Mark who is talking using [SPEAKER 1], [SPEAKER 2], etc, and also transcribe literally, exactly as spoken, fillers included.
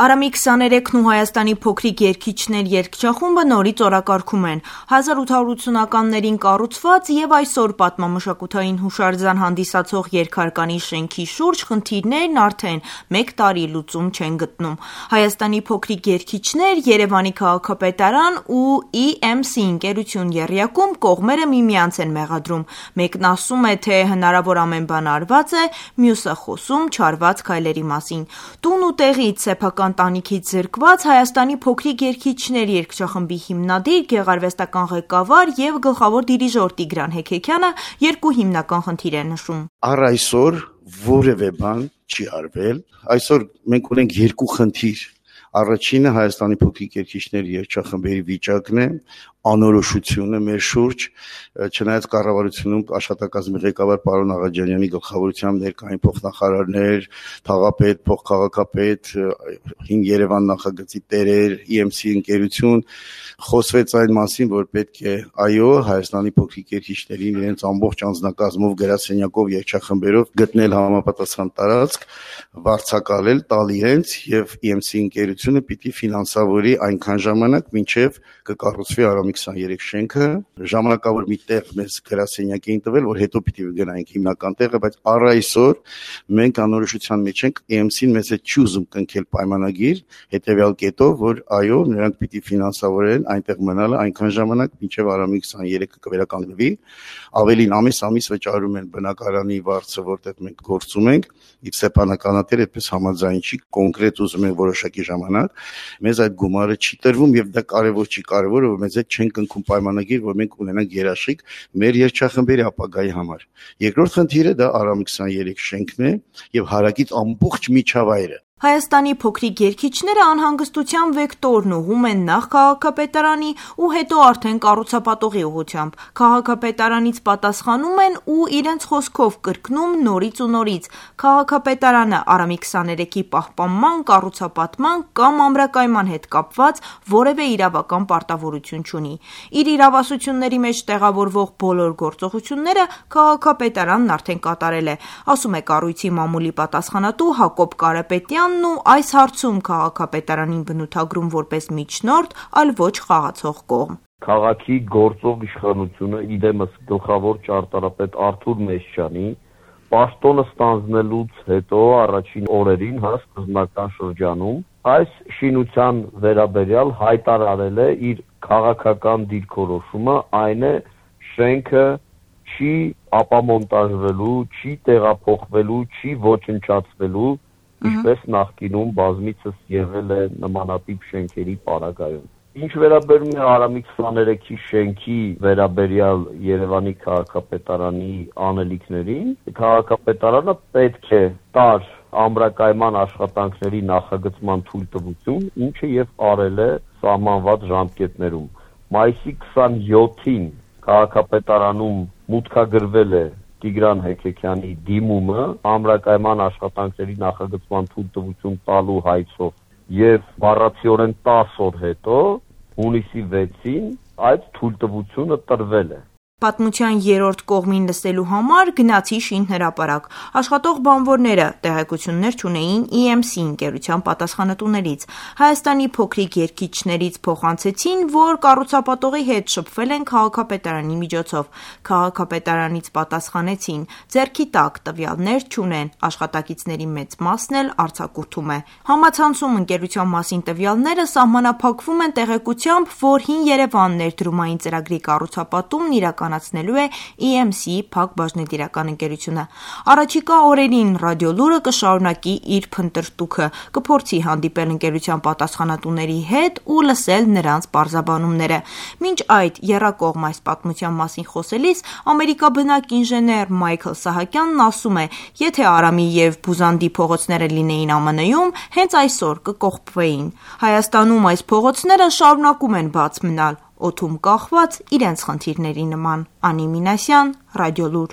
[SPEAKER 1] Արամի քսաներեքն ու Հայաստանի փոքրիկ երգիչներ երգչախումբը նորից օրակարգում են։ հազար ութ հարյուր ութսունականներին կառուցված եւ այսօր պատմամշակութային հուշարձան հանդիսացող երկհարկանի շենքի շուրջ խնդիրներն արդեն մեկ տարի լուծում չեն գտնում։ Հայաստանի փոքրիկ երգիչներ, Երևանի քաղաքապետարան ու E M C ընկերություն եռյակում կողմերը միմյանց են մեղադրում։ Մեկն ասում է, թե հնարավոր ամեն բան արված է, մյուսը խոսում չարված քայլերի մասին։ Տուն ու տեղից սեփական տանիքից զրկված Հայաստանի փոքրիկ երգիչներ երգչախմբի հիմնադիր, գեղարվեստական ղեկավար եւ գլխավոր դիրիժոր Տիգրան Հեքեքյանը երկու հիմնական խնդիր է նշում։
[SPEAKER 2] Առ այսօր որևէ բան չի արվել։ Այսօր մենք ունենք երկու խնդիր։ Առաջինը Հայաստանի փոքրիկ երգիչներ երգչախմբերի վիճակն է, անորոշությունը մեր շուրջ, չնայած կառավարությունում աշխատակազմի ղեկավար պարոն Աղաջանյանի գլխավորությամբ ներկային փոխնախարարներ, թաղապետ, փոխքաղաքապետ, հին Երևան նախագծի տերեր, E M C ընկերություն, խոսվեց այն մասին, որ պետք է այո Հայաստանի փոքրիկ երգիչներին իրենց ամբողջ անձնակազմով, գրասենյակով, երգչախմբերով գտնել համապատասխան տարածք, վարձակալել, տալ իրենց եւ E M C ընկերությունը պիտի ֆինանսավորի այնքան ժամանակ, մինչեւ կկառուցվի Արամի քսաներեք շենքը, ժամանակավոր մի տեղ մեզ գրասենյակ էին տվել, որ հետո պիտի գնայինք հիմնական տեղը, բայց առ այսօր մենք անորոշության մեջ ենք, E M C-ն մեզ հետ չի ուզում կնքել պայմանագիր, հետեւյալ կետով, որ այո, նրանք պիտի ֆինանսավորեն այնտեղ մնալը այնքան ժամանակ, մինչև Արամի քսաներեքը կվերականգնվի, ավելին ամիս-ամիս վճարում են բնակարանի վարձը, որտեղ մենք գործում ենք, իսկ սեփականատերը այդպես համաձայն չի, կոնկրետ ուզում են որոշակի ժամանակ, մեզ այդ գումարը չի տրվում եւ դա կարեւոր չի, կարեւորը որ մեզ հետ չեն կնքում պայմանագիր, որ մենք ունենանք երաշխիք մեր երգչախմբերի ապագայի համար։ Երկրորդ խնդիրը դա Արամի քսաներեք շենքն է եւ հարակից ամբողջ միջավայրը։
[SPEAKER 1] Հայաստանի փոքրիկ երգիչները անհանգստության վեկտորն ուղում են նախ քաղաքապետարանի ու հետո արդեն կառուցապատողի ուղղությամբ։ Քաղաքապետարանից պատասխանում են ու իրենց խոսքով կրկնում նորից ու նորից։ Քաղաքապետարանը Արամի քսաներեքի պահպանման, կառուցապատման կամ ամրակայման հետ կապված որևէ իրավական պարտավորություն չունի։ Իր իրավասությունների մեջ տեղավորվող բոլոր գործողությունները քաղաքապետարանն արդեն կատարել է, ասում է կառույցի մամուլի պատասխանատու Հակոբ Կարապետյան ու այս հարցում քաղաքապետարանին բնութագրում որպես միջնորդ, այլ ոչ խաղացող կողմ։
[SPEAKER 3] Քաղաքի գործող իշխանությունը իդեմս գլխավոր ճարտարապետ Արթուր Մեսչյանի պաշտոնը ստանձնելուց հետո առաջին օրերին հա սկզբնական շրջանում այս շինության վերաբերյալ հայտարարել է իր քաղաքական դիրքորոշումը, այն է շենքը չի ապամոնտաժվելու, չի տեղափոխվելու, չի ոչնչացվելու, ինչպես նախկինում բազմիցս եղել է նմանատիպ շենքերի պարագայում։ Ինչ վերաբերում է Արամի քսաներեքի շենքի վերաբերյալ Երևանի քաղաքապետարանի անելիքներին, քաղաքապետարանը պետք է տար ամրակայման աշխատանքների նախագծման թույլտվություն, ինչը եւ արել է սահմանված ժամկետներում։ Մայիսի քսաներեքին քաղաքապետարանում մուտքագրվել է Տիգրան Հեքեքյանի դիմումը ամրակայման աշխատանքների նախագծման թույլտվություն տալու հայցով եւ բառացիորեն տասը օր հետո հունիսի վեցին այդ թույլտվությունը տրվել է։
[SPEAKER 1] Պատմության երրորդ կողմին լսելու համար գնացի շինհրապարակ։ Աշխատող բանվորները տեղեկություններ չունեին E M C ընկերության պատասխանատուներից։ Հայաստանի փոքրիկ երգիչներից փոխանցեցին, որ կառուցապատողի հետ շփվել են քաղաքապետարանի միջոցով։ Քաղաքապետարանից պատասխանեցին՝ ձեռքի տակ տվյալներ չունեն, աշխատակիցների մեծ մասն էլ արձակուրդում է։ Համացանցում ընկերության մասին տվյալները սահմանափակվում են տեղեկությամբ, որ Հին Երևան ներդրումային ծրագրի կառուցապատումն իրականացնելու է E M C Փակ բաժնետիրական ընկերությունը։ Առաջիկա օրերին ռադիոլուրը կշարունակի իր փնտրտուքը, կփորձի հանդիպել ընկերության պատասխանատուների հետ ու լսել նրանց պարզաբանումները։ Մինչ այդ եռակողմ այս պատմության մասին խոսելիս ամերիկաբնակ ինժեներ Մայքլ Սահակյանն ասում է, եթե Արամի եւ Բուզանդի փողոցները լինեին Am N-ում, հենց այսօր կկողպվեին։ Հայաստանում այս փողոցները շարունակում են բաց մնալ, օդում կախված իրենց խնդիրների նման։ Անի Մինասյան, Ռադիոլուր։